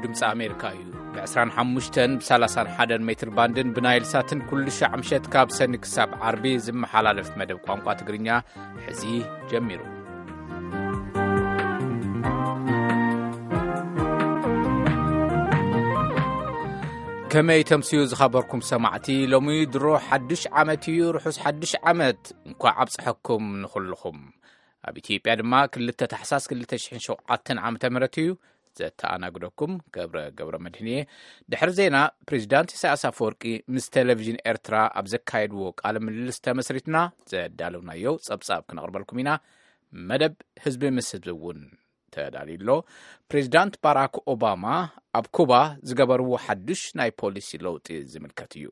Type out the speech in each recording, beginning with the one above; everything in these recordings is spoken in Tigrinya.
ድምፂ ኣሜሪካ እዩ። ብ ዕስራን ሓሙሽተን፣ ብ ሰላሳን ሓደን ሜትር ባንድን ብናይል ሳትን ኩሉ ሻዕ ምሸት ካብ ሰኒ ክሳብ ዓርቢ ዝመሓላለፍ መደብ ቋንቋ ትግርኛ ሕዚ ጀሚሩ። ከመይ ተምስዩ ዝኸበርኩም ሰማዕቲ፣ ሎሚ ድሮ ሓድሽ ዓመት እዩ። ርሑስ ሓድሽ ዓመት፣ እንኳዕ ኣብፀሐኩም ንኹልኹም። ኣብ ኢትዮጵያ ድማ ክልተ ታሕሳስ ክልተ ሽሕን ሸውዓተን ዓመተ ምህረት እዩ። ዘተኣናግደኩም ገብረ ገብረ መድህን እየ። ድሕሪ ዜና፣ ፕሬዚዳንት ኢሳያስ ኣፈወርቂ ምስ ቴሌቪዥን ኤርትራ ኣብ ዘካየድዎ ቃለ ምልልስ ተመስሪትና ዘዳለውናዮ ጸብጻብ ክነቕርበልኩም ኢና። መደብ ህዝቢ ምስ ህዝቢ እውን ተዳልዩ ኣሎ። ፕሬዚዳንት ባራክ ኦባማ ኣብ ኩባ ዝገበርዎ ሓድሽ ናይ ፖሊሲ ለውጢ ዝምልከት እዩ።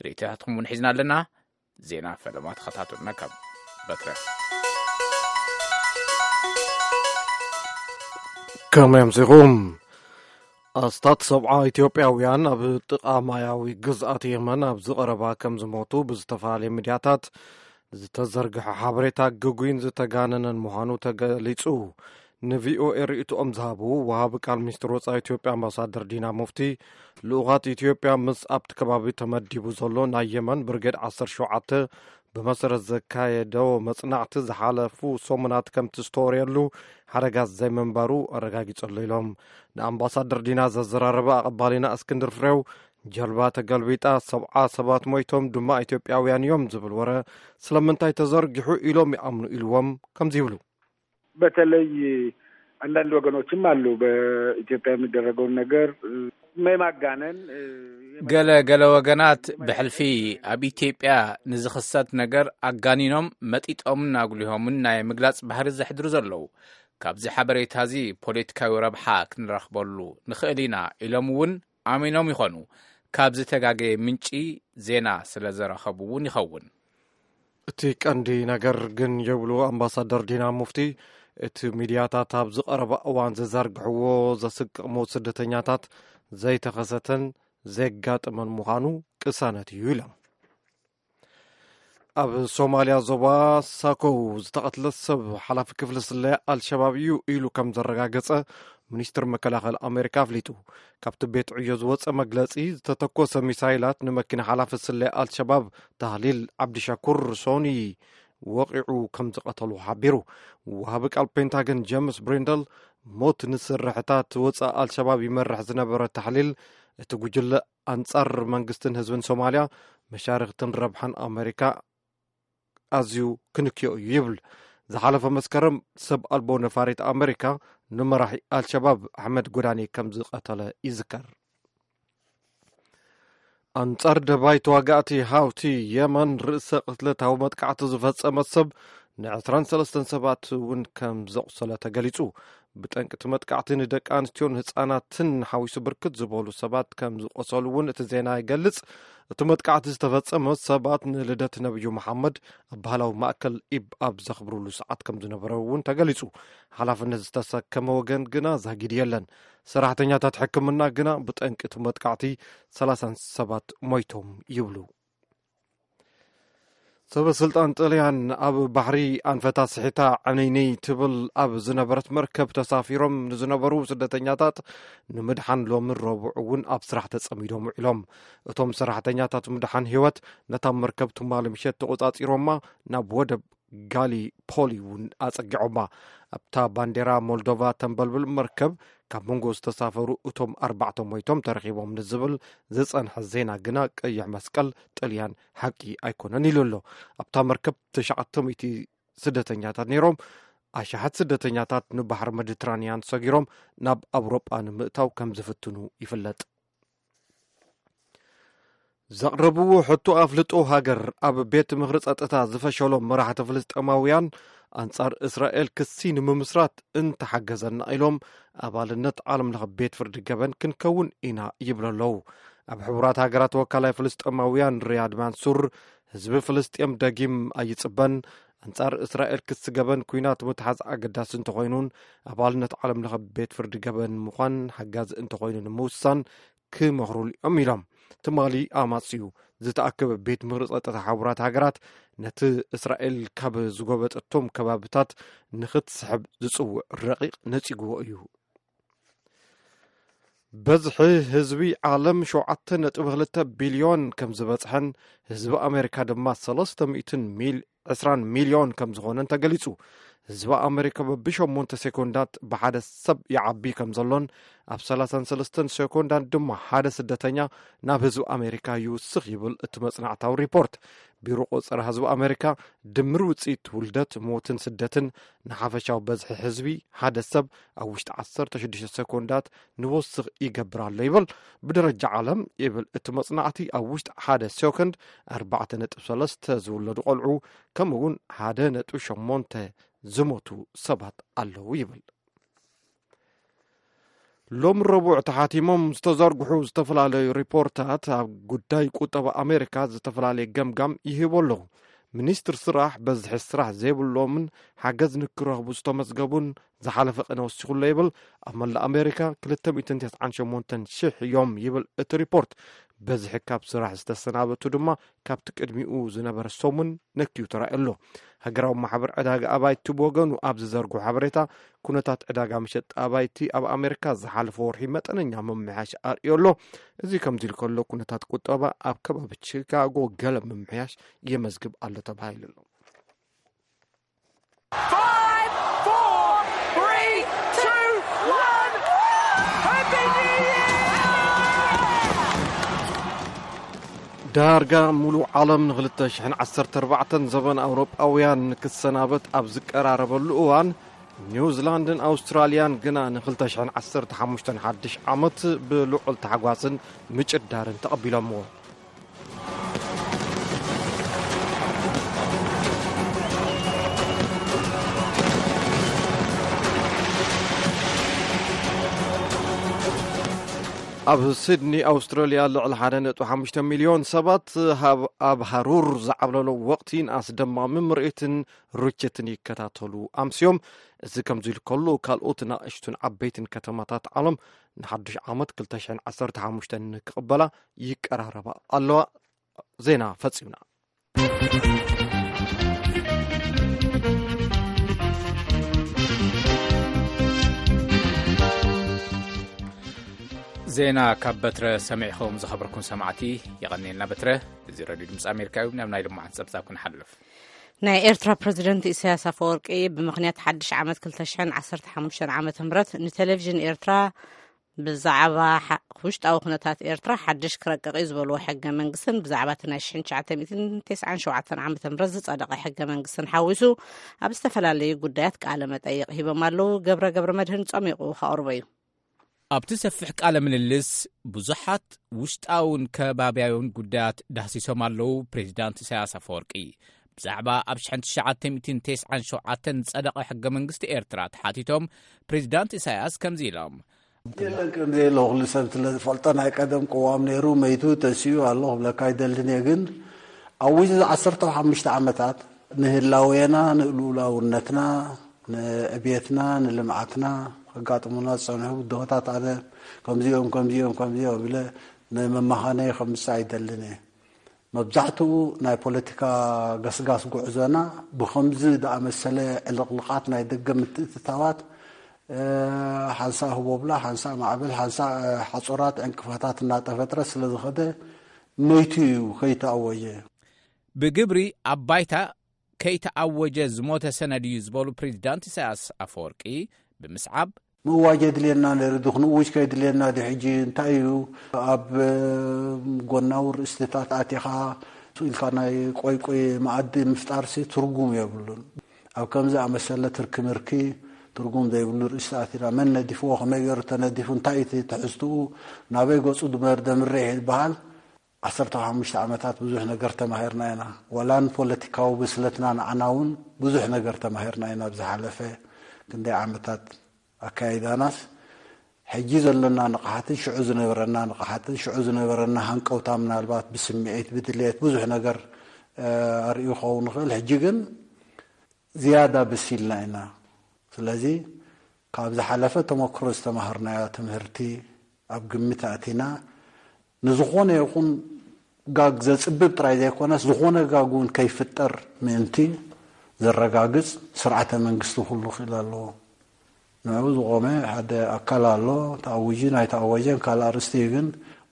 ርእይቶታትኩም እውን ሒዝና ኣለና። ዜና ፈለማ ተኸታተሉና ካብ በትረ። ከመይ ኣምሲኹም? ኣስታት ሰብዓ ኢትዮጵያውያን ኣብ ጥቓ ማያዊ ግዝኣት የመን ኣብ ዝቐረባ ከም ዝሞቱ ብዝተፈላለየ ሚድያታት ዝተዘርግሐ ሓበሬታ ግጉይን ዝተጋነነን ምዃኑ ተገሊጹ። ንቪኦኤ ርእይቶኦም ዝሃቡ ወሃቢ ቃል ሚኒስትር ወጻኢ ኢትዮጵያ ኣምባሳደር ዲና ሙፍቲ፣ ልኡኻት ኢትዮጵያ ምስ ኣብቲ ከባቢ ተመዲቡ ዘሎ ናይ የመን ብርጌድ ዓሰርተ ሸውዓተ ብመሰረት ዘካየዶ መጽናዕቲ ዝሓለፉ ሰሙናት ከምቲ ዝተወርየሉ ሓደጋት ዘይምንባሩ ኣረጋጊጹ ኣሎ ኢሎም። ንኣምባሳደር ዲና ዘዘራረበ ኣቐባሊና እስክንድር ፍሬው፣ ጀልባ ተገልቢጣ ሰብዓ ሰባት ሞይቶም ድማ ኢትዮጵያውያን እዮም ዝብል ወረ ስለምንታይ ተዘርጊሑ ኢሎም ይኣምኑ ኢልዎም ከምዚ ይብሉ። በተለይ አንዳንድ ወገኖችም አሉ በኢትዮጵያ የሚደረገውን ነገር የማጋነን። ገለ ገለ ወገናት ብሕልፊ ኣብ ኢትዮጵያ ንዝኽሰት ነገር ኣጋኒኖም መጢጦምን ኣጉሊሆምን ናይ ምግላጽ ባህሪ ዘሕድሩ ዘለዉ፣ ካብዚ ሓበሬታ እዚ ፖለቲካዊ ረብሓ ክንረኽበሉ ንኽእል ኢና ኢሎም እውን ኣሚኖም ይኾኑ። ካብ ዝተጋገየ ምንጪ ዜና ስለ ዘረኸቡ እውን ይኸውን። እቲ ቀንዲ ነገር ግን ይብሉ ኣምባሳደር ዲና ሙፍቲ፣ እቲ ሚድያታት ኣብዚ ቀረባ እዋን ዘዘርግሕዎ ዘስቅቕ ሞት ስደተኛታት ዘይተኸሰተን ዘጋጠመን ምዃኑ ቅሳነት እዩ ኢሎም። ኣብ ሶማልያ ዞባ ሳኮው ዝተቐትለ ሰብ ሓላፊ ክፍሊ ስለያ ኣልሸባብ እዩ ኢሉ ከም ዘረጋገጸ ሚኒስትር መከላኸሊ ኣሜሪካ ኣፍሊጡ። ካብቲ ቤት ዕዮ ዝወጸ መግለጺ፣ ዝተተኮሰ ሚሳይላት ንመኪና ሓላፊ ስለያ ኣልሸባብ ታህሊል ዓብዲሻኩር ሶኒ ወቒዑ ከም ዝቐተሉ ሓቢሩ። ወሃቢ ቃል ፔንታገን ጀምስ ብሪንደል፣ ሞት ንስርሕታት ወጻኢ ኣልሸባብ ይመርሕ ዝነበረ ታሕሊል፣ እቲ ጉጅለ ኣንጻር መንግስትን ህዝብን ሶማልያ መሻርኽትን ረብሓን ኣሜሪካ ኣዝዩ ክንክዮ እዩ ይብል። ዝሓለፈ መስከረም ሰብ ኣልቦ ነፋሪት ኣሜሪካ ንመራሒ ኣልሸባብ ኣሕመድ ጎዳኒ ከም ዝቐተለ ይዝከር። ኣንጻር ደባይ ተዋጋእቲ ሃውቲ የመን ርእሰ ቅትለታዊ መጥቃዕቲ ዝፈጸመ ሰብ ን23 ሰባት እውን ከም ዘቑሰለ ተገሊጹ። ብጠንቂ እቲ መጥቃዕቲ ንደቂ ኣንስትዮን ህጻናትን ሓዊሱ ብርክት ዝበሉ ሰባት ከም ዝቆሰሉ እውን እቲ ዜና ይገልጽ። እቲ መጥቃዕቲ ዝተፈጸመ ሰባት ንልደት ነብዩ መሓመድ ኣብ ባህላዊ ማእከል ኢብ ኣብ ዘኽብሩሉ ሰዓት ከም ዝነበረ እውን ተገሊጹ። ሓላፍነት ዝተሰከመ ወገን ግና ዛጊድ የለን። ሰራሕተኛታት ሕክምና ግና ብጠንቂ እቲ መጥቃዕቲ ሰላሳ ሰባት ሞይቶም ይብሉ። ሰበ ስልጣን ጥልያን ኣብ ባሕሪ ኣንፈታ ስሒታ ዕንይንይ ትብል ኣብ ዝነበረት መርከብ ተሳፊሮም ንዝነበሩ ስደተኛታት ንምድሓን ሎሚ ረቡዕ እውን ኣብ ስራሕ ተጸሚዶም ውዒሎም። እቶም ሰራሕተኛታት ምድሓን ህይወት ነታ መርከብ ትማሊ ምሸት ተቖጻጺሮማ ናብ ወደብ ጋሊፖሊ እውን ኣጸጊዖማ። ኣብታ ባንዴራ ሞልዶቫ ተንበልብል መርከብ ካብ መንጎ ዝተሳፈሩ እቶም ኣርባዕተ ሞይቶም ተረኺቦም ንዝብል ዝጸንሐ ዜና ግና ቀይሕ መስቀል ጥልያን ሓቂ ኣይኮነን ኢሉ ኣሎ። ኣብታ መርከብ ትሽዓተ ሚእቲ ስደተኛታት ነይሮም። ኣሽሓት ስደተኛታት ንባሕሪ መዲትራንያን ሰጊሮም ናብ ኣውሮጳ ንምእታው ከም ዝፍትኑ ይፍለጥ። ዘቕረብዎ ሕቶ ኣፍልጦ ሃገር ኣብ ቤት ምኽሪ ጸጥታ ዝፈሸሎም መራሕቲ ፍልስጤማውያን ኣንጻር እስራኤል ክሲ ንምምስራት እንተሓገዘና ኢሎም ኣባልነት ዓለም ለኸ ቤት ፍርዲ ገበን ክንከውን ኢና ይብሉ ኣለዉ። ኣብ ሕቡራት ሃገራት ወካላይ ፍልስጤማውያን ሪያድ ማንሱር ህዝቢ ፍልስጤም ደጊም ኣይጽበን፣ ኣንጻር እስራኤል ክሲ ገበን ኩናት ምትሓዝ ኣገዳሲ እንተኾይኑን ኣባልነት ዓለም ለኸ ቤት ፍርዲ ገበን ምዃን ሓጋዚ እንተኾይኑ ንምውሳን ክመኽሩሉ እዮም ኢሎም። ትማሊ ኣማጽዩ ዝተኣከበ ቤት ምኽሪ ጸጥታ ሕቡራት ሃገራት ነቲ እስራኤል ካብ ዝጎበጠቶም ከባብታት ንኽትስሕብ ዝጽውዕ ረቂቕ ነጺግዎ እዩ። በዝሒ ህዝቢ ዓለም ሸውዓተ ነጥቢ ክልተ ቢልዮን ከም ዝበጽሐን ህዝቢ ኣሜሪካ ድማ ሰለስተ ሚእትን ሚል-፣ ዕስራን ሚልዮን ከም ዝኾነን ተገሊጹ። ህዝቢ ኣሜሪካ በብሸሞንተ ሴኮንዳት ብሓደ ሰብ ይዓቢ ከም ዘሎን ኣብ ሰላሳን ሰለስተን ሴኮንዳት ድማ ሓደ ስደተኛ ናብ ህዝቢ ኣሜሪካ ይውስኽ ይብል እቲ መጽናዕታዊ ሪፖርት። ቢሮ ቆጸራ ህዝቢ ኣሜሪካ ድምር ውጽኢት ውልደት፣ ሞትን ስደትን ንሓፈሻዊ በዝሒ ህዝቢ ሓደ ሰብ ኣብ ውሽጢ ዓሰርተ ሽዱሽተ ሴኮንዳት ንወስኽ ይገብር ኣሎ ይብል። ብደረጃ ዓለም ይብል እቲ መጽናዕቲ ኣብ ውሽጢ ሓደ ሴኮንድ ኣርባዕተ ነጥቢ ሰለስተ ዝውለዱ ቆልዑ ከምኡ እውን ሓደ ነጥቢ ሸሞንተ ዝሞቱ ሰባት ኣለዉ ይብል። ሎም ረቡዕ ተሓቲሞም ዝተዘርግሑ ዝተፈላለዩ ሪፖርታት ኣብ ጉዳይ ቁጠባ ኣሜሪካ ዝተፈላለየ ገምጋም ይህቡ ኣለዉ። ሚኒስትር ስራሕ በዝሒ ስራሕ ዘይብሎምን ሓገዝ ንክረኽቡ ዝተመዝገቡን ዝሓለፈ ቅነ ወሲኹሎ ይብል። ኣብ መላእ ኣሜሪካ ክልተ ሚእትን ተስዓን ሸሞንተን ሽሕ እዮም ይብል እቲ ሪፖርት። በዝሒ ካብ ስራሕ ዝተሰናበቱ ድማ ካብቲ ቅድሚኡ ዝነበረ ሰሙን ነክዩ ተራእዩ ኣሎ። ሃገራዊ ማሕበር ዕዳጋ ኣባይቲ ብወገኑ ኣብ ዝዘርግሖ ሓበሬታ፣ ኩነታት ዕዳጋ መሸጢ ኣባይቲ ኣብ ኣሜሪካ ዝሓለፈ ወርሒ መጠነኛ ምምሕያሽ ኣርእዩ ኣሎ። እዚ ከምዚ ኢሉ ከሎ፣ ኩነታት ቁጠባ ኣብ ከባቢ ቺካጎ ገለ ምምሕያሽ የመዝግብ ኣሎ ተባሂሉ ኣሎ። Five, four, three, two, one. Happy New Year! ዳርጋ ሙሉእ ዓለም ንክልተ ሽሕን ዓሰርተ ኣርባዕተን ዘበን ኣውሮጳውያን ንክሰናበት ኣብ ዝቀራረበሉ እዋን፣ ኒውዚላንድን ኣውስትራልያን ግና ንክልተ ሽሕን ዓሰርተ ሓሙሽተን ሓድሽ ዓመት ብልዑል ታሕጓስን ምጭዳርን ተቐቢሎምዎ። ኣብ ሲድኒ ኣውስትራልያ ልዕሊ ሓደ ነጥቢ ሓሙሽተ ሚልዮን ሰባት ኣብ ሃሩር ዝዓብለሎ ወቕቲን ኣስደማሚ ምርኢትን ርችትን ይከታተሉ ኣምስዮም። እዚ ከምዚ ኢሉ ከሎ፣ ካልኦት ናእሽቱን ዓበይትን ከተማታት ዓለም ንሓድሽ ዓመት ክልተ ሽሕን ዓሰርተ ሓሙሽተን ክቕበላ ይቀራረባ ኣለዋ። ዜና ፈጺምና። ዜና ካብ በትረ ሰሚዕኹም ዝኸበርኩም ሰማዕቲ፣ የቐንየልና በትረ። እዚ ረድዮ ድምፂ ኣሜሪካ እዩ። ናብ ናይ ልማዓት ፀብፃብ ክንሓልፍ። ናይ ኤርትራ ፕረዚደንት ኢሳያስ ኣፈወርቂ ብምኽንያት ሓድሽ ዓመት ክልተ ሽሕን ዓሰርተ ሓሙሽተን ዓመተ ምህረት ንቴሌቪዥን ኤርትራ ብዛዕባ ውሽጣዊ ኩነታት ኤርትራ ሓድሽ ክረቅቕ እዩ ዝበልዎ ሕገ መንግስትን ብዛዕባ እቲ ናይ ሽሕን ትሽዓተ ሚእትን ተስዓን ሸውዓተን ዓመተ ምህረት ዝጸደቐ ሕገ መንግስትን ሓዊሱ ኣብ ዝተፈላለዩ ጉዳያት ቃለ መጠይቕ ሂቦም ኣለዉ። ገብረ ገብረ መድህን ጸሚቑ ከቕርቦ እዩ። ኣብቲ ሰፊሕ ቃለ ምልልስ ብዙሓት ውሽጣውን ከባብያውን ጉዳያት ዳህሲሶም ኣለዉ። ፕሬዚዳንት ኢሳያስ ኣፈወርቂ ብዛዕባ ኣብ ሽሕን ትሽዓተ ሚእትን ተስዓን ሸውዓተን ዝጸደቐ ሕገ መንግስቲ ኤርትራ ተሓቲቶም ፕሬዚዳንት ኢሳያስ ከምዚ ኢሎም። የለን ከም ዘየለ ኩሉ ሰብ ስለ ዝፈልጦ ናይ ቀደም ቅዋም ነይሩ መይቱ ተሲኡ ኣሎ ክብለካ ኣይደልን እየ። ግን ኣብ ውሽጢ ዓሰርተ ሓሙሽተ ዓመታት ንህላዌና ንልኡላውነትና ንዕብየትና ንልምዓትና ከጋጥሙና ዝጸንሑ ብድሆታት ኣነ ከምዚኦም ከምዚኦም ከምዚኦም ኢለ ንመመኻነይ ከምጽእ ኣይደልን እየ። መብዛሕትኡ ናይ ፖለቲካ ገስጋስ ጉዕዞና ብኸምዚ ዝኣመሰለ ዕልቕልቓት ናይ ደገ ምትእትታዋት ሓንሳእ ህቦብላ ሓንሳእ ማዕበል ሓንሳእ ሓፁራት ዕንቅፋታት እናተፈጥረ ስለዝኸደ መይቱ እዩ ከይተኣወየ። ብግብሪ ኣብ ባይታ ከይተኣወጀ ዝሞተ ሰነድ እዩ ዝበሉ ፕሬዚዳንት ኢሳያስ ኣፈወርቂ ብምስዓብ ምእዋጅ የድልየና ነይሩ ዲ ክንእውጅ ከየድልየና ዲ ሕጂ እንታይ እዩ ኣብ ጎናዊ ርእስትታት ኣቲኻ ኢልካ ናይ ቆይ ቆይ መኣዲ ምፍጣርሲ ትርጉም የብሉን። ኣብ ከምዚ ኣመሰለ ትርኪ ምርኪ ትርጉም ዘይብሉ ርእስቲ ኣቲና መን ነዲፍዎ ከመይ ገይሩ ተነዲፉ እንታይ እቲ ትሕዝትኡ ናበይ ገፁ ድመር ደምርሕ ይበሃል። ዓሰርተ ሓሙሽተ ዓመታት ብዙሕ ነገር ተማሂርና ኢና። ዋላ ንፖለቲካዊ ብስለትና ንዓና እውን ብዙሕ ነገር ተማሂርና ኢና። ብዝሓለፈ ክንደይ ዓመታት ኣካይዳናስ ሕጂ ዘለና ንቕሓትን ሽዑ ዝነበረና ንቕሓትን ሽዑ ዝነበረና ሃንቀውታ ምናልባት ብስምዒት ብድልየት ብዙሕ ነገር ኣርእዩ ክኸውን ይኽእል። ሕጂ ግን ዝያዳ በሲልና ኢና። ስለዚ ካብ ዝሓለፈ ተመክሮ ዝተማሃርናዮ ትምህርቲ ኣብ ግምት ኣእቲና ንዝኾነ ይኹን ጋግ ዘፅብብ ጥራይ ዘይኮነስ ዝኾነ ጋግ እውን ከይፍጠር ምእንቲ ዘረጋግፅ ስርዓተ መንግስቲ ኩሉ ክእል ኣለዎ። ንዕኡ ዝቖመ ሓደ ኣካል ኣሎ። ተኣዊጁ ናይ ተኣወጀን ካልእ ኣርእስቲ እዩ፣ ግን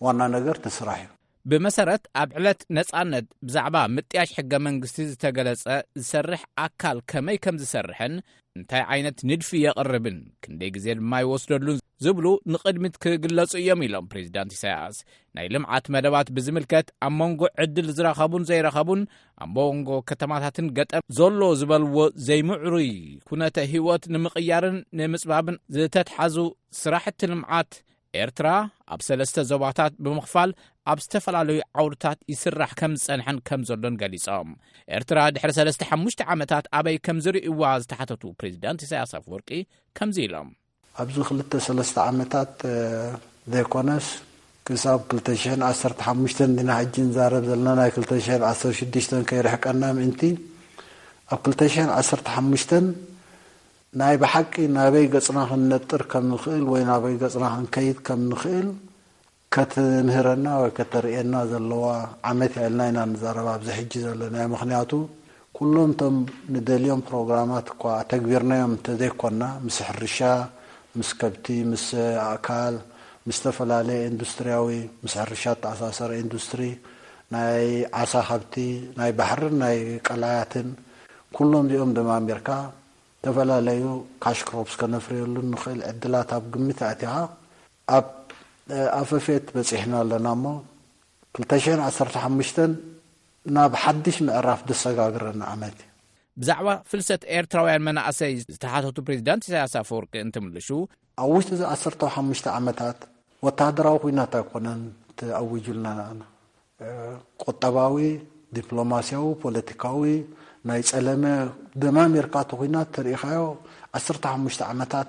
ዋና ነገር እቲ ስራሕ እዩ። ብመሰረት ኣብ ዕለት ነጻነት ብዛዕባ ምጥያሽ ሕገ መንግስቲ ዝተገለጸ ዝሰርሕ ኣካል ከመይ ከም ዝሰርሕን እንታይ ዓይነት ንድፊ የቕርብን ክንደይ ግዜ ድማ ይወስደሉን ዝብሉ ንቕድሚት ክግለጹ እዮም ኢሎም ፕሬዚዳንት ኢሳያስ። ናይ ልምዓት መደባት ብዝምልከት ኣብ መንጎ ዕድል ዝረኸቡን ዘይረኸቡን ኣብ መንጎ ከተማታትን ገጠር ዘሎ ዝበልዎ ዘይምዕሩይ ኩነተ ህይወት ንምቕያርን ንምጽባብን ዝተትሓዙ ስራሕቲ ልምዓት ኤርትራ ኣብ ሰለስተ ዞባታት ብምኽፋል ኣብ ዝተፈላለዩ ዓውድታት ይስራሕ ከም ዝጸንሐን ከም ዘሎን ገሊጾም። ኤርትራ ድሕሪ ሰለስተ ሓሙሽተ ዓመታት ኣበይ ከም ዝርእይዋ ዝተሓተቱ ፕሬዚዳንት ኢሳያስ ኣፈወርቂ ከምዚ ኢሎም። ኣብዚ ክልተ ሰለስተ ዓመታት ዘይኮነስ ክሳብ ክልተ ሽሕን ዓሰርተ ሓሙሽተን ዲና ሕጂ ንዛረብ ዘለና፣ ናይ ክልተ ሽሕን ዓሰርተ ሽዱሽተን ከይርሕቀና ምእንቲ፣ ኣብ ክልተ ሽሕን ዓሰርተ ሓሙሽተን ናይ ብሓቂ ናበይ ገጽና ክንነጥር ከም ንኽእል ወይ ናበይ ገጽና ክንከይድ ከም ንኽእል ከትምህረና ወይ ከተርእየና ዘለዋ ዓመት እያ ኢልና ኢና ንዛረብ ኣብዚ ሕጂ ዘለናዮ። ምኽንያቱ ኩሎም እቶም ንደልዮም ፕሮግራማት እኳ ኣተግቢርናዮም እንተዘይኮና፣ ምስ ሕርሻ፣ ምስ ከብቲ፣ ምስ ኣእካል፣ ምስ ዝተፈላለየ ኢንዱስትሪያዊ፣ ምስ ሕርሻ እተኣሳሰረ ኢንዱስትሪ፣ ናይ ዓሳ ሃብቲ፣ ናይ ባሕርን ናይ ቀላያትን፣ ኩሎም እዚኦም ደማሚርካ ዝተፈላለዩ ካሽ ክሮፕስ ከነፍርየሉ ንኽእል ዕድላት ኣብ ግምት ኣእቲኻ ኣብ ኣፈፌት በጺሕና ኣለና እሞ ክልተ ሽሕን ዓሰርተ ሓሙሽተን ናብ ሓድሽ ምዕራፍ ደሰጋግረና ዓመት እዩ። ብዛዕባ ፍልሰት ኤርትራውያን መናእሰይ ዝተሓተቱ ፕሬዚዳንት ኢሳያስ ኣፈወርቂ እንትምልሹ ኣብ ውሽጢ እዚ ዓሰርተ ሓሙሽተ ዓመታት ወታደራዊ ኩናት ኣይኮነን ተኣዊጁልና። ቁጠባዊ፣ ዲፕሎማሲያዊ፣ ፖለቲካዊ ናይ ጸለመ ደማሚርካ እቲ ኩናት ተሪኢኻዮ ዓሰርተ ሓሙሽተ ዓመታት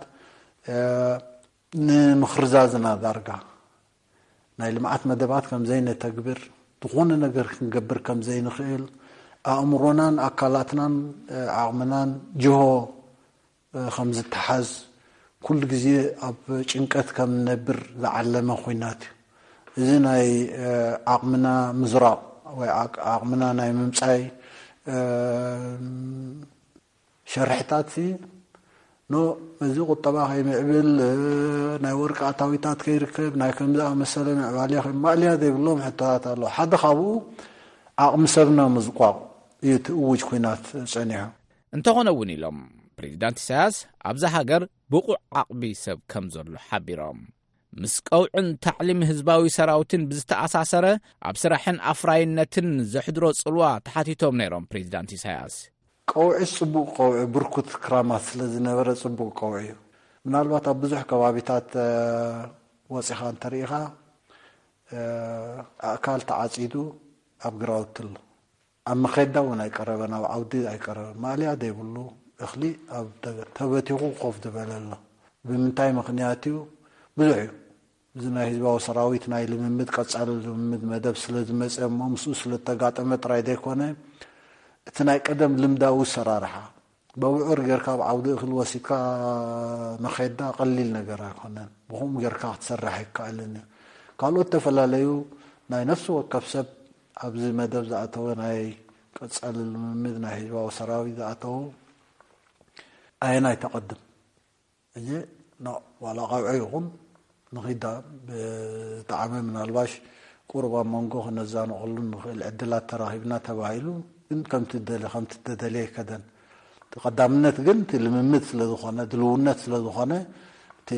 ንምኽርዛዝና ዳርጋ ናይ ልምዓት መደባት ከም ዘይነተግብር፣ ዝኾነ ነገር ክንገብር ከም ዘይንኽእል፣ ኣእምሮናን ኣካላትናን ዓቕምናን ጅሆ ከም ዝተሓዝ፣ ኩሉ ግዜ ኣብ ጭንቀት ከም ንነብር ዝዓለመ ኩናት እዩ። እዚ ናይ ዓቕምና ምዝራቕ ወይ ዓቕምና ናይ ምምጻይ ሸርሕታት ሲ ኖ እዚ ቁጠባ ከይምዕብል፣ ናይ ወርቂ ኣታዊታት ከይርከብ፣ ናይ ከምዚ ኣመሰለ ምዕባለ ከይማእልያ ዘይብሎም ሕቶታት ኣለዉ። ሓደ ካብኡ ዓቕሚ ሰብና ምዝቋቕ እዩ እቲ እውጅ ኩናት ጸኒሑ። እንተኾነ እውን ኢሎም ፕሬዚዳንት ኢሳያስ ኣብዛ ሃገር ብቑዕ ዓቕሚ ሰብ ከም ዘሎ ሓቢሮም። ምስ ቀውዕን ታዕሊም ህዝባዊ ሰራዊትን ብዝተኣሳሰረ ኣብ ስራሕን ኣፍራይነትን ዘሕድሮ ጽልዋ ተሓቲቶም ነይሮም ፕሬዚዳንት ኢሳያስ። ቀውዒ ጽቡቕ ቀውዒ ብርኩት ክራማት ስለ ዝነበረ ጽቡቕ ቀውዒ እዩ። ምናልባት ኣብ ብዙሕ ከባቢታት ወፂኻ እንተርኢኻ ኣእካል ተዓፂዱ ኣብ ግራውቲ ኣሎ። ኣብ መኸዳ እውን ኣይቀረበን፣ ኣብ ዓውዲ ኣይቀረበን። ማእለያ ዘይብሉ እኽሊ ኣብ ተበቲኹ ኮፍ ዝበለ ኣሎ። ብምንታይ ምኽንያት እዩ? ብዙሕ እዩ። እዚ ናይ ህዝባዊ ሰራዊት ናይ ልምምድ ቀጻሊ ልምምድ መደብ ስለ ዝመጸ እሞ ምስኡ ስለ እተጋጠመ ጥራይ ዘይኮነ እቲ ናይ ቀደም ልምዳዊ ኣሰራርሓ በብዑር ጌርካ ኣብ ዓውዲ እኽሊ ወሲድካ መኼዳ ቀሊል ነገር ኣይኮነን። ብኹም ጌርካ ክትሰርሕ ኣይከኣልን እዩ። ካልኦት ዝተፈላለዩ ናይ ነፍሲ ወከፍ ሰብ ኣብዚ መደብ ዝኣተወ ናይ ቀጻሊ ልምምድ ናይ ህዝባዊ ሰራዊት ዝኣተዉ ኣየናይ ተቐድም? እዚ ዋላ ቀውዒ ይኹን ንኺዳ ብጣዕሚ ምናልባሽ ቁሩብ ኣብ መንጎ ክነዛንቐሉ ንኽእል ዕድላት ተራኺብና ተባሂሉ ግን ከምቲ ደለ ከምቲ ተደልየ ኣይከደን። እቲ ቀዳምነት ግን እቲ ልምምድ ስለ ዝኾነ ድልውነት ስለ ዝኾነ እቲ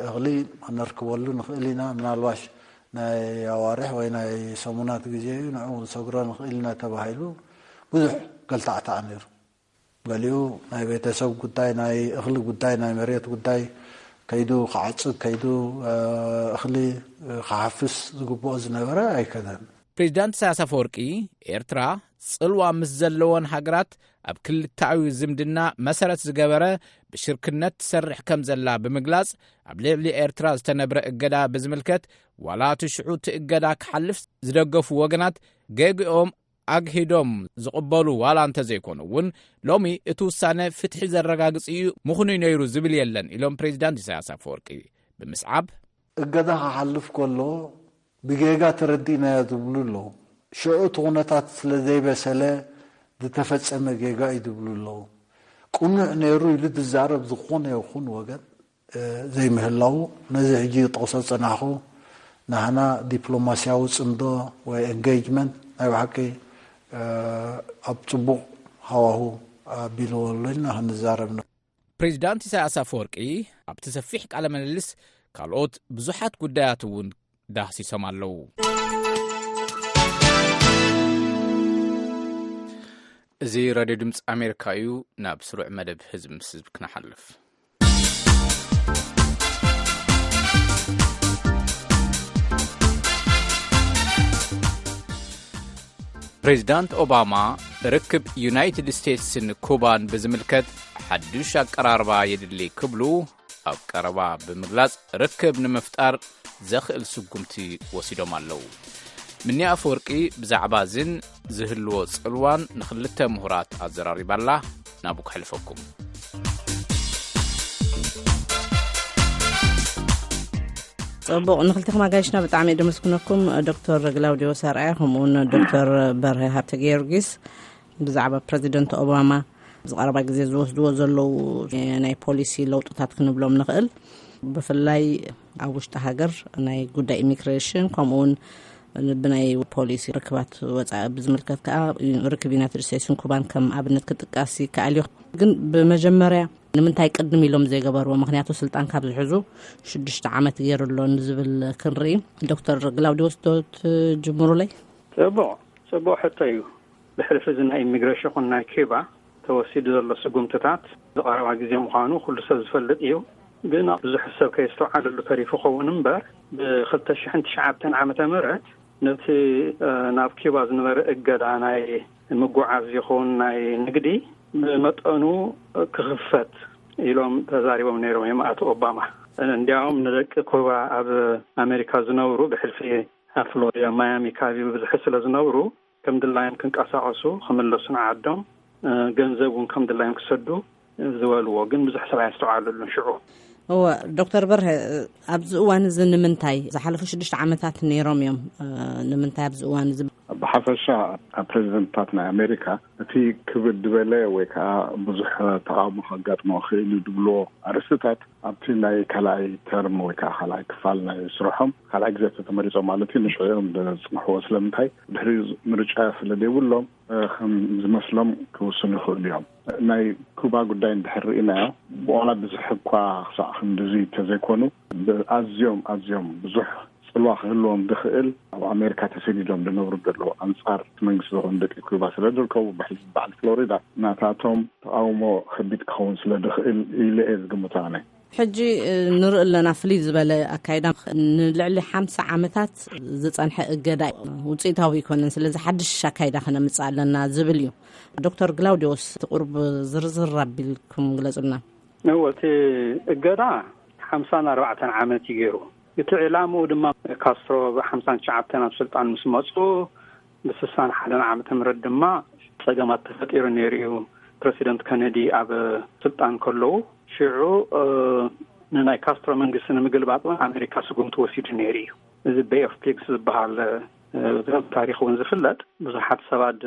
እኽሊ ክነርክበሉ ንኽእል ኢና። ምናልባሽ ናይ ኣዋርሕ ወይ ናይ ሰሙናት ግዜ እዩ ንዕኡ ክንሰግሮ ንኽእል ኢና ተባሂሉ ብዙሕ ገልታዕታዕ ነይሩ። ገሊኡ ናይ ቤተሰብ ጉዳይ፣ ናይ እኽሊ ጉዳይ፣ ናይ መሬት ጉዳይ ከይዱ ክዓጽድ ከይዱ እኽሊ ክሓፍስ ዝግብኦ ዝነበረ ኣይከደን። ፕሬዚዳንት ኢሳያስ ኣፈወርቂ ኤርትራ ጽልዋ ምስ ዘለወን ሃገራት ኣብ ክልተኣዊ ዝምድና መሰረት ዝገበረ ብሽርክነት ትሰርሕ ከም ዘላ ብምግላጽ ኣብ ልዕሊ ኤርትራ ዝተነብረ እገዳ ብዝምልከት ዋላ እቲ ሽዑ እቲ እገዳ ክሓልፍ ዝደገፉ ወገናት ገግኦም ኣግሂዶም ዝቕበሉ ዋላ እንተዘይኮኑ እውን ሎሚ እቲ ውሳነ ፍትሒ ዘረጋግጽ እዩ ምኽኑይ ነይሩ ዝብል የለን ኢሎም ፕሬዚዳንት ኢሳያስ ኣፈወርቂ ብምስዓብ እገዳ ክሓልፍ ከሎ ብጌጋ ተረዲእናዮ ዝብሉ ኣለዉ። ሽዑ እቲ ኩነታት ስለ ዘይበሰለ ዝተፈጸመ ጌጋ እዩ ዝብሉ ኣለዉ። ቅኑዕ ነይሩ ኢሉ ዝዛረብ ዝኾነ ይኹን ወገን ዘይምህላው፣ ነዚ ሕጂ ጠቕሶ ዝጸናሕኩ ናህና ዲፕሎማስያዊ ጽምዶ ወይ ኤንጌጅመንት ናይ ብሓቂ ኣብ ጽቡቕ ሃዋሁ ኣቢልዎ ኣሎ ኢልና ክንዛረብ። ፕሬዚዳንት ኢሳያስ ኣፈወርቂ ኣብቲ ሰፊሕ ቃለ ምልልስ ካልኦት ብዙሓት ጉዳያት እውን ዳህሲሶም ኣለዉ። እዚ ራድዮ ድምፂ ኣሜሪካ እዩ። ናብ ስሩዕ መደብ ህዝቢ ምስ ህዝቢ ክነሓልፍ። ፕሬዚዳንት ኦባማ ርክብ ዩናይትድ ስቴትስን ኩባን ብዝምልከት ሓዱሽ ኣቀራርባ የድሊ ክብሉ ኣብ ቀረባ ብምግላጽ ርክብ ንምፍጣር ዘኽእል ስጉምቲ ወሲዶም ኣለዉ። ምኒ ኣፈወርቂ ብዛዕባ ዝን ዝህልዎ ጽልዋን ንኽልተ ምሁራት ኣዘራሪባላ። ናብኡ ክሕልፈኩም። ጽቡቕ፣ ንኽልተኹም ኣጋይሽና ብጣዕሚ እየ ደመስግነኩም። ዶክተር ግላውዲዮስ ኣርኣያ ከምኡውን ዶክተር በርሀ ሃብተ ጊዮርጊስ ብዛዕባ ፕረዚደንት ኦባማ ኣብዚ ቀረባ ግዜ ዝወስድዎ ዘለዉ ናይ ፖሊሲ ለውጥታት ክንብሎም ንኽእል። ብፍላይ ኣብ ውሽጢ ሃገር ናይ ጉዳይ ኢሚግሬሽን ከምኡውን ብናይ ፖሊሲ ርክባት ወፃኢ ብዝምልከት ከዓ ርክብ ዩናይትድ ስቴትስን ኩባን ከም ኣብነት ክጥቀስ ይከኣል እዩ። ግን ብመጀመርያ ንምንታይ ቅድም ኢሎም ዘይገበርዎ? ምኽንያቱ ስልጣን ካብ ዝሕዙ ሽዱሽተ ዓመት ገይሩ ኣሎ ንዝብል ክንርኢ። ዶክተር ግላውዲዮስ ዶ ትጅምሩለይ? ጽቡቕ፣ ጽቡቕ ሕቶ እዩ። ብሕልፊ እዚ ናይ ኢሚግሬሽን ይኹን ናይ ኪባ ተወሲዱ ዘሎ ስጉምትታት ዝቐረባ ግዜ ምዃኑ ኩሉ ሰብ ዝፈልጥ እዩ። ግን ብዙሕ ሰብ ከየስተውዓለሉ ተሪፉ ኸውን እምበር፣ ብ2009 ዓመተ ምህረት ነቲ፣ እ፣ ናብ ኪባ ዝነበረ እገዳ ናይ ምጉዓዝ ይኹን ናይ ንግዲ ብመጠኑ ክኽፈት ኢሎም ተዛሪቦም ነይሮም እዮም ኣቶ ኦባማ። እንዲያውም ንደቂ ኩባ ኣብ ኣሜሪካ ዝነብሩ ብሕልፊ ኣብ ፍሎሪዳ ማያሚ ከባቢ ብብዝሒ ስለ ዝነብሩ ከም ድላዮም ክንቀሳቐሱ ክምለሱ ንዓዶም፣ እ፣ ገንዘብ እውን ከም ድላዮም ክሰዱ ዝበልዎ ግን ብዙሕ ሰብ ኣየስተውዓለሉን ሽዑ። እወ፣ ዶክተር በርሀ፣ ኣብዚ እዋን እዚ ንምንታይ ዝሓለፉ ሽዱሽተ ዓመታት ነይሮም እዮም፣ እ፣ ንምንታይ ኣብዚ እዋን እዚ? ብሓፈሻ ኣብ ፕሬዚደንትታት ናይ ኣሜሪካ እቲ ክብድ ዝበለ ወይ ከዓ ብዙሕ ተቃውሞ ከጋጥሞ ክእል እዩ ዝብልዎ ኣርእስትታት ኣብቲ ናይ ካልኣይ ተርም ወይ ከዓ ካልኣይ ክፋል ናይ ስርሖም ካልኣይ ግዜ ተተመሪጾም ማለት እዩ ንሽዑ እዮም ዘጽንሕዎ። ስለምንታይ? ድሕሪ ምርጫ ስለ ዘይብሎም ከም ዝመስሎም ክውስኑ ይኽእሉ እዮም። ናይ ኩባ ጉዳይ እንድሕር ርኢናዮ፣ ብዋላ ብዙሕ እኳ ክሳዕ ክንድዚ እንተዘይኮኑ፣ ኣዝዮም ኣዝዮም ብዙሕ ጽልዋ ክህልዎም ዝኽእል ኣብ ኣሜሪካ ተሰዲዶም ዝነብሩ ዘለዉ ኣንጻር እቲ መንግስቲ ዝኾኑ ደቂ ኩባ ስለ ዝርከቡ፣ ብሕልፊ በዓል ፍሎሪዳ ናታቶም ተቓውሞ ከቢድ ክኸውን ስለ ዝኽእል ኢለ እየ ዝግምቶ ኣነ። ሕጂ ንርኢ ኣለና፣ ፍልይ ዝበለ ኣካይዳ፣ ንልዕሊ ሓምሳ ዓመታት ዝጸንሐ እገዳ ውጽኢታዊ ኣይኮነን። ስለዚ ሓድሽ ኣካይዳ ከነምጽእ ኣለና ዝብል እዩ። ዶክተር ግላውዲዮስ፣ እቲ ቁሩብ ዝርዝር ኣቢልኩም ግለጹልና። እወ፣ እቲ እገዳ ሓምሳን ኣርባዕተን ዓመት እዩ ገይሩ። እቲ ዕላምኡ ድማ ካስትሮ ብ ሓምሳን ትሽዓተን ኣብ ስልጣን ምስ መጹ፣ ብ ስሳን ሓደን ዓመተ ምህረት ድማ ጸገማት ተፈጢሩ ነይሩ እዩ። ፕረሲደንት ከነዲ ኣብ ስልጣን ከለዉ፣ ሽዑ፣ እ፣ ንናይ ካስትሮ መንግስቲ ንምግልባጥ እውን ኣሜሪካ ስጉምቲ ወሲዱ ነይሩ እዩ። እዚ ቤይ ኦፍ ፒግስ ዝበሃል፣ እ፣ ብደንብ ታሪኽ እውን ዝፍለጥ፣ ብዙሓት ሰባት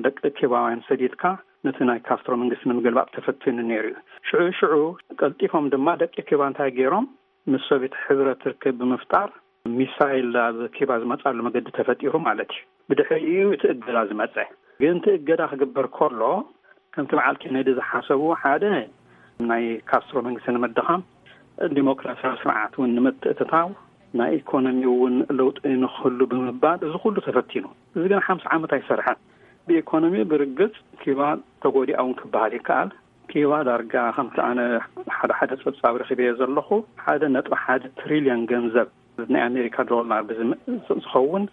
ደቂ ኪባውያን ሰዲድካ ነቲ ናይ ካስትሮ መንግስቲ ንምግልባጥ ተፈቲኑ ነይሩ እዩ። ሽዑ ሽዑ ቀልጢፎም ድማ ደቂ ኪባ እንታይ ገይሮም? ምስ ሶቪየት ሕብረት ርክብ ብምፍጣር ሚሳይል ኣብ ኪባ ዝመጻሉ መገዲ ተፈጢሩ ማለት እዩ። ብድሕሪኡ እቲ እገዳ ዝመጸ። ግን እቲ እገዳ ክግበር ከሎ ከምቲ በዓል ኬነዲ ዝሓሰቡ ሓደ ናይ ካስትሮ መንግስቲ ንምድኻም ዲሞክራሲያዊ ስርዓት እውን ንምትእትታው ናይ ኢኮኖሚ እውን ለውጢ ንክህሉ ብምባል እዚ ኩሉ ተፈቲኑ። እዚ ግን ሓምሳ ዓመት ኣይሰርሐን። ብኢኮኖሚ ብርግጽ ኪባ ተጎዲኣ እውን ክበሃል ይከኣል። ኪባ ዳርጋ ከምቲ ኣነ ሓደ ሓደ ጸብጻብ ረኺበዮ ዘለኹ ሓደ ነጥቢ ሓደ ትሪልዮን ገንዘብ ናይ ኣሜሪካ ዶላር ብዝም-፣ ዝኸውን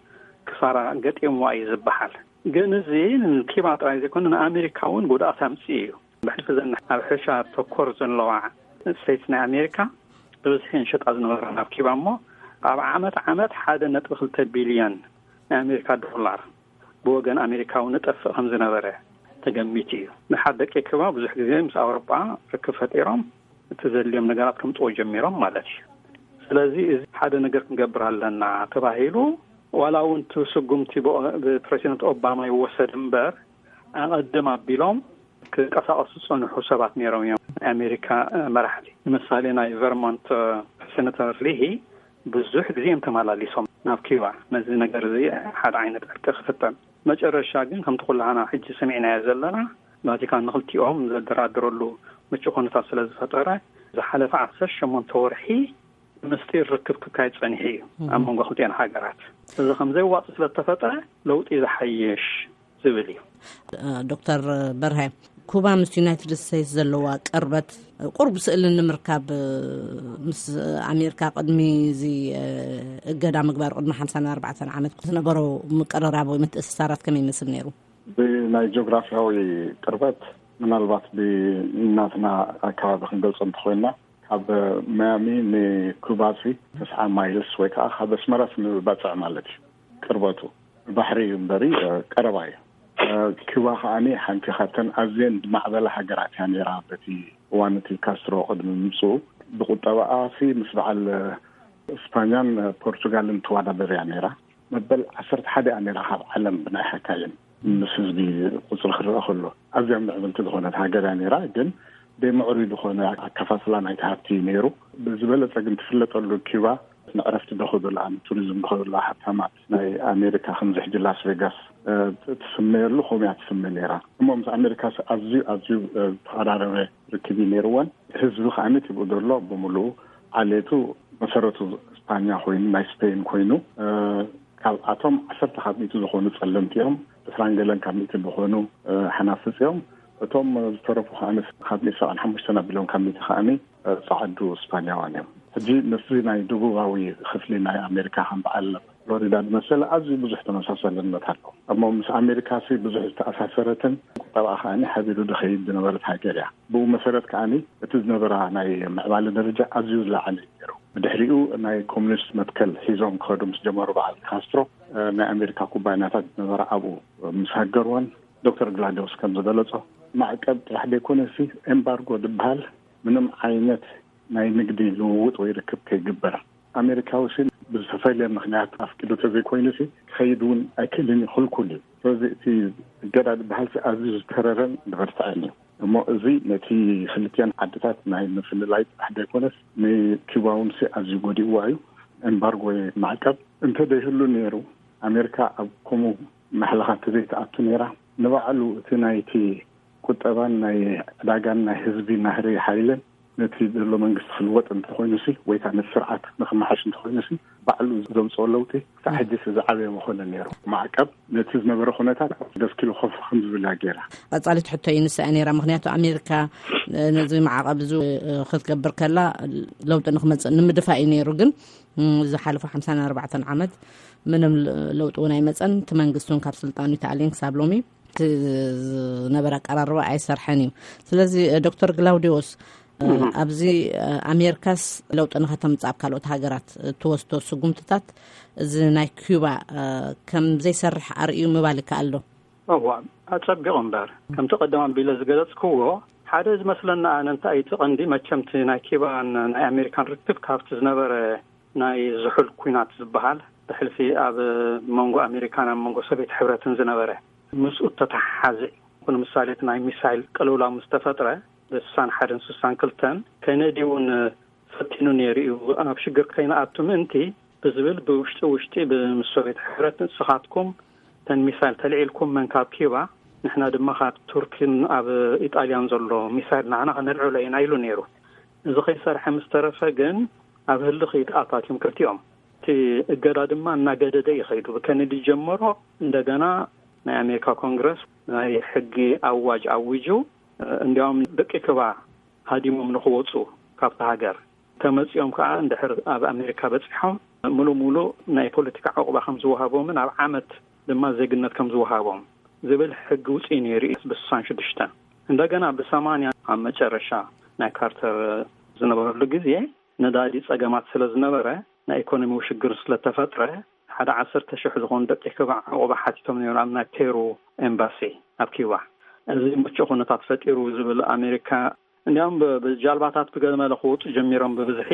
ክሳራ ገጢምዋ እዩ ዝበሃል። ግን እዚ ንኪባ ጥራይ ዘይኮነ ንኣሜሪካ እውን ጉድኣት ኣምጽኡ እዩ። ብሕልፊ ዘን ኣብ ሕርሻ ተኮር ዘለዋ ስቴትስ ናይ ኣሜሪካ ብብዝሒ እንሸጣ ዝነበራ ናብ ኪባ እሞ ኣብ ዓመት ዓመት ሓደ ነጥቢ ክልተ ቢልዮን ናይ ኣሜሪካ ዶላር ብወገን ኣሜሪካ እውን ንጠፍእ ከም ዝነበረ ተገሚቱ እዩ። ንሓደ ደቂ ኪባ ብዙሕ ግዜ ምስ ኣውሮጳ ርክብ ፈጢሮም እቲ ዘድልዮም ነገራት ከምፅዎ ጀሚሮም ማለት እዩ። ስለዚ እዚ ሓደ ነገር ክንገብር ኣለና ተባሂሉ ዋላ እውን እቲ ስጉምቲ ብኦ-፣ ብፕሬዚደንት ኦባማ ይወሰድ እምበር ኣቐድም ኣቢሎም ክንቀሳቐሱ ዝጸንሑ ሰባት ነይሮም እዮም። ናይ ኣሜሪካ መራሕቲ፣ ንምሳሌ፣ ናይ ቨርሞንት ሴነተር ሊሂ ብዙሕ ግዜ እዮም ተመላሊሶም ናብ ኪባ። ነዚ ነገር እዚ ሓደ ዓይነት ዕርቂ ክፍጠን፣ መጨረሻ ግን ከምቲ ኩላህና ሕጂ ሰሚዕናዮ ዘለና፣ ቫቲካን ንክልቲኦም ዘደራድረሉ ምቹእ ኩነታት ስለ ዝፈጠረ፣ ዝሓለፈ ዓሰርተ ሸሞንተ ወርሒ ምስጢር ርክብ ክካየድ ጸኒሑ እዩ ኣብ መንጎ ክልቲኦን ሃገራት። እዚ ከም ዘየዋጽእ ስለ ዝተፈጠረ፣ ለውጢ ዝሓየሽ ዝብል እዩ። ዶክተር በርሀ፣ ኩባ ምስ ዩናይትድ ስቴትስ ዘለዋ ቅርበት ቁርብ ስእሊ ንምርካብ፣ ምስ ኣሜሪካ ቅድሚ እዚ እገዳ ምግባር፣ ቅድሚ ሓምሳን ኣርባዕተን ዓመት ዝነበሮ ምቅርራብ ወይ ምትእስሳራት ከመይ ይመስል ነይሩ? ብናይ ጂኦግራፊያዊ ቅርበት፣ ምናልባት ብናትና ኣከባቢ ክንገልጾ እንተኮይና፣ ካብ ማያሚ ንኩባሲ ተስዓ ማይልስ ወይ ከዓ ካብ ኣስመራስ ንባፅዕ ማለት እዩ ቅርበቱ። ባሕሪ እዩ እምበሪ ቀረባ እዩ። ኩባ ከዓኒ ሓንቲ ካብተን ኣዝየን ዝማዕበላ ሃገራት እያ ነይራ። በቲ እዋን እቲ ካስትሮ ቅድሚ ምምፅኡ ብቁጠባኣሲ ምስ በዓል እስፓኛን ፖርቹጋልን ትወዳደር እያ ነይራ። መበል ዓሰርተ ሓደ እያ ነይራ ካብ ዓለም ብናይ ሓካይም ምስ ህዝቢ ቁፅሪ ክረአ ከሎ። ኣዝያ ምዕብልቲ ዝኾነት ሃገር እያ ነይራ። ግን ደይ ምዕሩይ ዝኾነ ኣከፋፍላ ናይቲ ሃብቲ እዩ ነይሩ። ብዝበለፀ ግን ትፍለጠሉ ኪባ ንዕረፍቲ ዶ ከደላ ንቱሪዝም ዶ ከደላ ሃብታማት ናይ ኣሜሪካ ከምዚ ሕጂ ላስ ቬጋስ ትስመየሉ ከምኡ እያ ትስመ ነይራ። እሞ ምስ ኣሜሪካ ኣዝዩ ኣዝዩ ዝተቐራረበ ርክብ እዩ ነይርወን። ህዝቢ ከዓኒ ትብኡ ዘሎ ብምሉኡ ዓሌቱ መሰረቱ ስፓኛ ኮይኑ ናይ ስፔን ኮይኑ ካብኣቶም ዓሰርተ ካብ ሚእቲ ዝኾኑ ጸለምቲ እዮም። ዕስራን ገለን ካብ ሚእቲ ዝኾኑ ሓናፍጽ እዮም። እቶም ዝተረፉ ከዓኒ ካብ ሚእቲ ሰብዓን ሓሙሽተን ኣቢሎም ካብ ሚእቲ ከዓኒ ጸዓዱ ስፓኛዋን እዮም። ሕጂ ምስዚ ናይ ደቡባዊ ክፍሊ ናይ ኣሜሪካ ከም በዓል ፍሎሪዳ ዝመሰለ ኣዝዩ ብዙሕ ተመሳሳልነት ኣሎ። እሞ ምስ ኣሜሪካ ሲ ብዙሕ ዝተኣሳሰረትን ቁጠባ ከዓኒ ሓቢሩ ዝኸይድ ዝነበረት ሃገር እያ። ብኡ መሰረት ከዓኒ እቲ ዝነበራ ናይ ምዕባለ ደረጃ ኣዝዩ ዝለዓለ እዩ ነይሩ። ብድሕሪኡ ናይ ኮሚኒስት መትከል ሒዞም ክኸዱ ምስ ጀመሩ በዓል ካስትሮ ናይ ኣሜሪካ ኩባንያታት ዝነበራ ኣብኡ ምስ ሃገርወን ዶክተር ግላዲዮስ ከም ዝገለጾ ማዕቀብ ጥራሕ ዘይኮነሲ ኤምባርጎ ዝበሃል ምንም ዓይነት ናይ ንግዲ ልውውጥ ወይ ርክብ ከይግበር ኣሜሪካዊ ሲ ብዝተፈለየ ምክንያት ኣፍቂዱ ተዘይኮይኑ ሲ ክኸይድ እውን ኣይክእልን እዩ፣ ክልኩል እዩ። ስለዚ እቲ እገዳ ዝበሃል ሲ ኣዝዩ ዝተረረን ዝበርትዐን እዩ። እሞ እዚ ነቲ ክልቲኣን ዓድታት ናይ ምፍልላይ ጥራሕ ዘይኮነስ ንኪባ እውን ሲ ኣዝዩ ጎዲእዋ እዩ። ኤምባርጎ ወይ ማዕቀብ እንተደይህሉ ነይሩ ኣሜሪካ ኣብ ከምኡ ማሕለኻ እንተዘይትኣቱ ነይራ ንባዕሉ እቲ ናይቲ ቁጠባን ናይ ዕዳጋን ናይ ህዝቢ ናህሪ ሓይልን ነቲ ዘሎ መንግስቲ ክልወጥ እንተኮይኑሲ ወይ ከዓ ነቲ ስርዓት ንክመሓሽ እንተኮይኑሲ ባዕሉ ዘምፅኦ ለውጢ ክሳብ ሕጂስ ዝዓበየ መኮነ ነይሩ። ማዕቀብ ነቲ ዝነበረ ኩነታት ደስኪሉ ኮፍ ከም ዝብል እያ ገይራ። ቀፃሊት ሕቶ እዩ ንስኣ ነይራ። ምክንያቱ ኣሜሪካ ነዚ ማዕቀብ እዚ ክትገብር ከላ ለውጢ ንክመፅእ ንምድፋእ እዩ ነይሩ። ግን ዝሓለፉ ሓምሳን ኣርባዕተን ዓመት ምንም ለውጢ እውን ኣይመፀን። እቲ መንግስቲ እውን ካብ ስልጣኑ ተኣልየን ክሳብ ሎሚ እቲ ዝነበረ ኣቀራርባ ኣይሰርሐን እዩ። ስለዚ ዶክተር ግላውዲዮስ ኣብዚ ኣሜሪካስ ለውጢ ንኸተምፅእ ኣብ ካልኦት ሃገራት እትወስዶ ስጉምትታት እዚ ናይ ኪዩባ ከም ዘይሰርሕ ኣርእዩ ምባል ይከኣል ዶ? እዋ ኣጸቢቑ እምበር ከምቲ ቀደም ኣቢለ ዝገለጽክዎ ሓደ ዝመስለና ኣነ እንታይ እቲ ቀንዲ መቸምቲ ናይ ኪባን ናይ ኣሜሪካን ርክብ ካብቲ ዝነበረ ናይ ዝሑል ኲናት ዝበሃል ብሕልፊ ኣብ መንጎ ኣሜሪካን ኣብ መንጎ ሶቪየት ሕብረትን ዝነበረ ምስኡ እተተሓሓዘ እዩ። ንምሳሌ እቲ ናይ ሚሳይል ቅልውላው ምስ ተፈጥረ ብስሳን ሓደን ስሳን ክልተን ኬነዲ እውን ፈቲኑ ነይሩ እዩ። ኣብ ሽግር ከይንኣቱ ምእንቲ ብዝብል ብውሽጢ ውሽጢ ብምስ ሶቪየት ሕብረት ንስኻትኩም ተን ሚሳይል ተልዒልኩም መን ካብ ኪባ ንሕና ድማ ካብ ቱርኪን ኣብ ኢጣልያን ዘሎ ሚሳይል ንዓና ከነልዕሎ ኢና ኢሉ ነይሩ። እዚ ከይሰርሐ ምስ ተረፈ ግን ኣብ ህልኽ ይትኣታትዮም ክልቲኦም። እቲ እገዳ ድማ እናገደደ ይኸይዱ። ብከነዲ ጀመሮ እንደገና ናይ ኣሜሪካ ኮንግረስ ናይ ሕጊ ኣዋጅ ኣዊጁ እንዲያውም ደቂ ክባ ሃዲሞም ንክወፁ ካብቲ ሃገር ተመፂኦም ከዓ እንድሕር ኣብ ኣሜሪካ በፂሖም ሙሉ ሙሉ ናይ ፖለቲካ ዕቑባ ከም ዝወሃቦምን ኣብ ዓመት ድማ ዜግነት ከም ዝወሃቦም ዝብል ሕጊ ውፅኢ ነይሩ እዩ ብስሳን ሽዱሽተን። እንደገና ብሰማንያ ኣብ መጨረሻ ናይ ካርተር ዝነበረሉ ግዜ ነዳዲ ፀገማት ስለ ዝነበረ ናይ ኢኮኖሚ ውሽግር ስለተፈጥረ ሓደ ዓሰርተ ሽሕ ዝኾኑ ደቂ ኩባ ዕቑባ ሓቲቶም ነይሮም ኣብ ናይ ፔሩ ኤምባሲ ኣብ ኪባ። እዚ ምቹእ ኩነታት ፈጢሩ ዝብል ኣሜሪካ እንዲያውም ብጃልባታት ብገመለ ክወፁ ጀሚሮም ብብዝሒ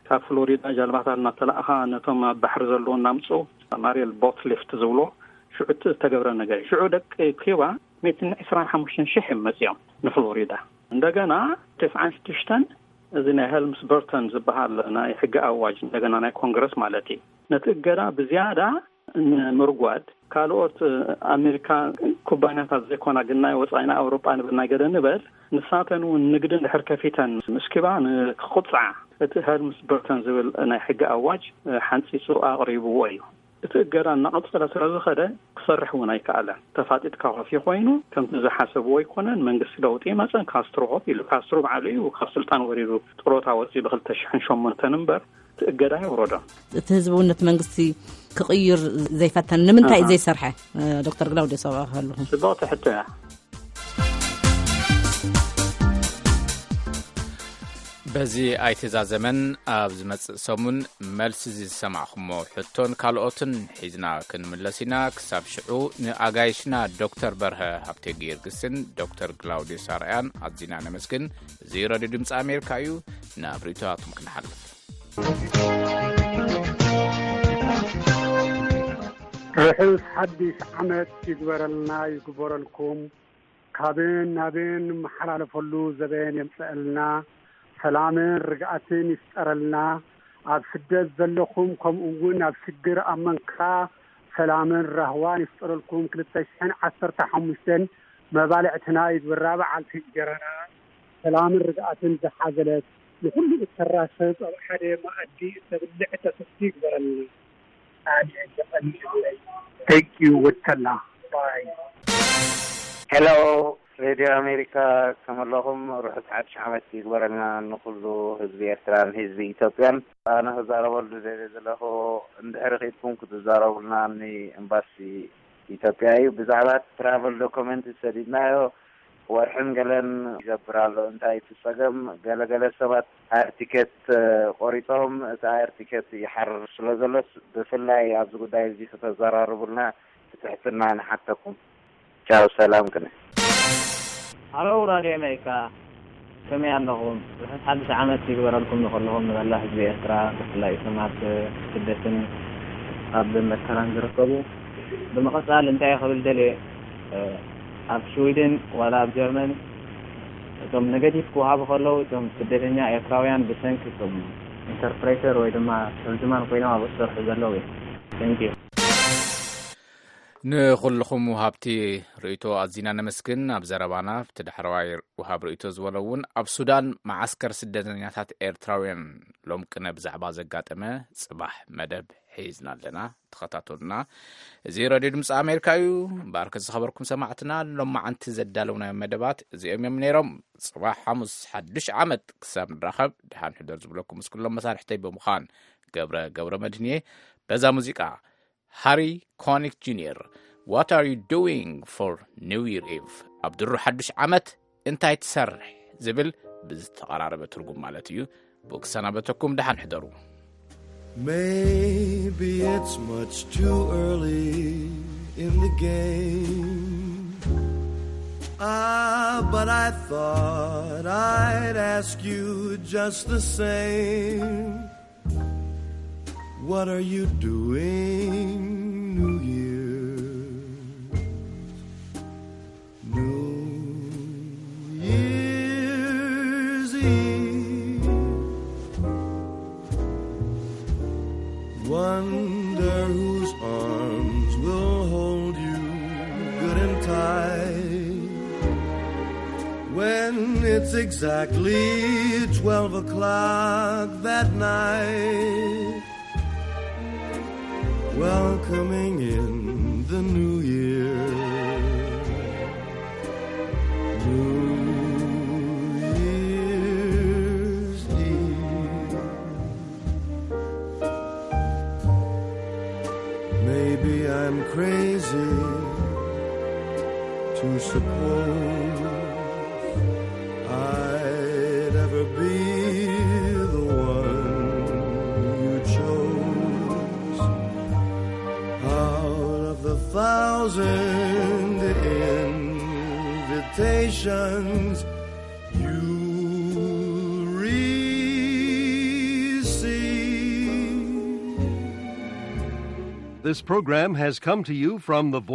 ካብ ፍሎሪዳ ጃልባታት እናተላእኻ ነቶም ኣብ ባሕሪ ዘለዎ እናምፁ ማሪል ቦት ሊፍት ዝብሎ ሽዑ ዝተገብረ ነገር እዩ። ሽዑ ደቂ ኪባ ሚእትን ዕስራን ሓሙሽተን ሽሕ እዮም መፂኦም። ንፍሎሪዳ። እንደገና ተስዓን ሽዱሽተን፣ እዚ ናይ ሄልምስ በርተን ዝበሃል ናይ ሕጊ ኣዋጅ፣ እንደገና ናይ ኮንግረስ ማለት እዩ፣ ነቲ እገዳ ብዝያዳ ንምርጓድ፣ ካልኦት ኣሜሪካ ኩባንያታት ዘይኮና፣ ግን ናይ ወፃኢ፣ ናይ ኣውሮጳ ንብል፣ ናይ ገለ ንበል፣ ንሳተን እውን ንግዲ እንድሕር ከፊተን ምስ ኪባ ንክቁፅዓ እቲ ሄልምስ በርተን ዝብል ናይ ሕጊ ኣዋጅ ሓንፂፁ ኣቕሪብዎ እዩ። እቲ እገዳ እናቐፀለ ስለ ዝኸደ ክሰርሕ እውን ኣይከኣለን። ተፋጢጥካ ኮፊ ኮይኑ ከምቲ ዝሓሰብዎ ኣይኮነን። መንግስቲ ለውጢ መፀን፣ ካስትሮ ኮፍ ኢሉ፣ ካስትሮ ባዕሉ እዩ ካብ ስልጣን ወሪዱ፣ ጥሮታ ወፂኡ ብ ክልተ ሽሕን ሸሞንተን እምበር እቲ እገዳ የውረዶ። እቲ ህዝቢ እውን ነቲ መንግስቲ ክቕይር ዘይፈተን ንምንታይ እዩ ዘይሰርሐ? ዶክተር ግላውዲዮስ ኣብኣ ከለኹ። ጽብቕቲ ሕቶ እያ። በዚ ኣይተዛዘመን። ኣብ ዝመጽእ ሰሙን መልሲ ዝሰማዕኹሞ ሕቶን ካልኦትን ሒዝና ክንምለስ ኢና። ክሳብ ሽዑ ንኣጋይሽና ዶክተር በርሀ ሃብተ ጊዮርጊስን ዶክተር ግላውዲዮስ ኣርኣያን ኣዚና ነመስግን። እዚ ረድዮ ድምፂ ኣሜሪካ እዩ። ናብ ርእይቶታቶም ክንሓልፍ። ርሑስ ሓድሽ ዓመት ይግበረልና ይግበረልኩም። ካብን ናብን ንመሓላለፈሉ ዘበን የምፀአልና። ሰላምን ርግኣትን ይፍጠረልና። ኣብ ስደት ዘለኹም ከምኡ እውን ኣብ ሽግር ኣብ መንካ ሰላምን ራህዋን ይፍጠረልኩም። ክልተ ሽሕን ዓሰርተ ሓሙሽተን መባልዕትና ይግበራ በዓልቲ እንጀራና። ሰላምን ርግኣትን ዝሓዘለት ንኹሉ እተራሰብ ኣብ ሓደ መኣዲ እተብልዕ እተስቲ ይግበረልና። ኣሜን። የቐንየለይ። Thank you ወተላ ባይ። ሄሎ ሬድዮ ኣሜሪካ፣ ከመለኹም ርሑስ ሓድሽ ዓመት ይግበረልና ንኩሉ ህዝቢ ኤርትራን ህዝቢ ኢትዮጵያን። ኣነ ክዛረበሉ ደልየ ዘለኹ፣ እንድሕር ኺድኩም ክትዛረቡልና ኒ ኤምባሲ ኢትዮጵያ እዩ። ብዛዕባ ትራቨል ዶክመንት ዝሰዲድናዮ ወርሕን ገለን ይገብር ኣሎ። እንታይ እቲ ጸገም? ገለገለ ሰባት ኣየር ቲኬት ቆሪጾም፣ እቲ ኣየር ቲኬት ይሓርር ስለ ዘሎስ፣ ብፍላይ ኣብዚ ጉዳይ እዚ ክተዘራርቡልና ብትሕትና ንሓተኩም። ቻው፣ ሰላም ቅነ። ሃሎ ራድዮ ኣሜሪካ፣ ከመይ ኣለኹም? ርሑስ ሓድሽ ዓመት ይግበረልኩም ንኹልኹም፣ ንመላእ ህዝቢ ኤርትራ፣ ብፍላይ እቶም ኣብ ስደትን ኣብ መከራን ዝርከቡ። ብምቕጻል እንታይ ክብል ደልየ፣ ኣብ ሽዊድን ዋላ ኣብ ጀርመን እቶም ኔጋቲቭ ክወሃቡ ከለዉ፣ እቶም ስደተኛ ኤርትራውያን ብሰንኪ እቶም ኢንተርፕሬተር ወይ ድማ ተርጅማን ኮይኖም ኣብኡ ዝሰርሑ ዘለዉ እዮም። Thank you። ንኹልኹም ወሃብቲ ርእይቶ ኣዚና ነመስግን። ኣብ ዘረባና ኣብቲ ዳሕረዋይ ወሃብ ርእይቶ ዝበሎ እውን፣ ኣብ ሱዳን መዓስከር ስደተኛታት ኤርትራውያን ሎም ቅነ ብዛዕባ ዘጋጠመ ጽባሕ መደብ ሒዝና ኣለና። ተኸታተሉና። እዚ ረድዮ ድምፂ ኣሜሪካ እዩ። እምበኣርከ ዝኸበርኩም ሰማዕትና፣ ሎማዓንቲ ዘዳለውናዮ መደባት እዚኦም እዮም ነይሮም። ጽባሕ ሓሙስ ሓድሽ ዓመት ክሳብ ንራኸብ፣ ደሓን ሕደር ዝብለኩም ምስ ኩሎም መሳርሕተይ ብምዃን፣ ገብረ ገብረ መድህንየ በዛ ሙዚቃ። ሃሪ ኮኒክ ጁኒየር፣ What are you doing for New Year Eve? ኣብ ድሮ ሓድሽ ዓመት እንታይ ትሰርሕ? ዝብል ብዝተቐራረበ ትርጉም ማለት እዩ። ብኡ ክሰናበተኩም፣ ደሓን ሕደሩ። Maybe it's much too early in the game. Ah, but I thought I'd ask you just the same. What are you doing New Year's? New Year's Eve. Wonder whose arms will hold you good and tight when it's exactly twelve o'clock that night. Welcoming in the new year. New Year's Eve. Maybe I'm crazy to suppose I'd ever be the one you chose out of the thousand invitations you received. This program has come to you from the Voice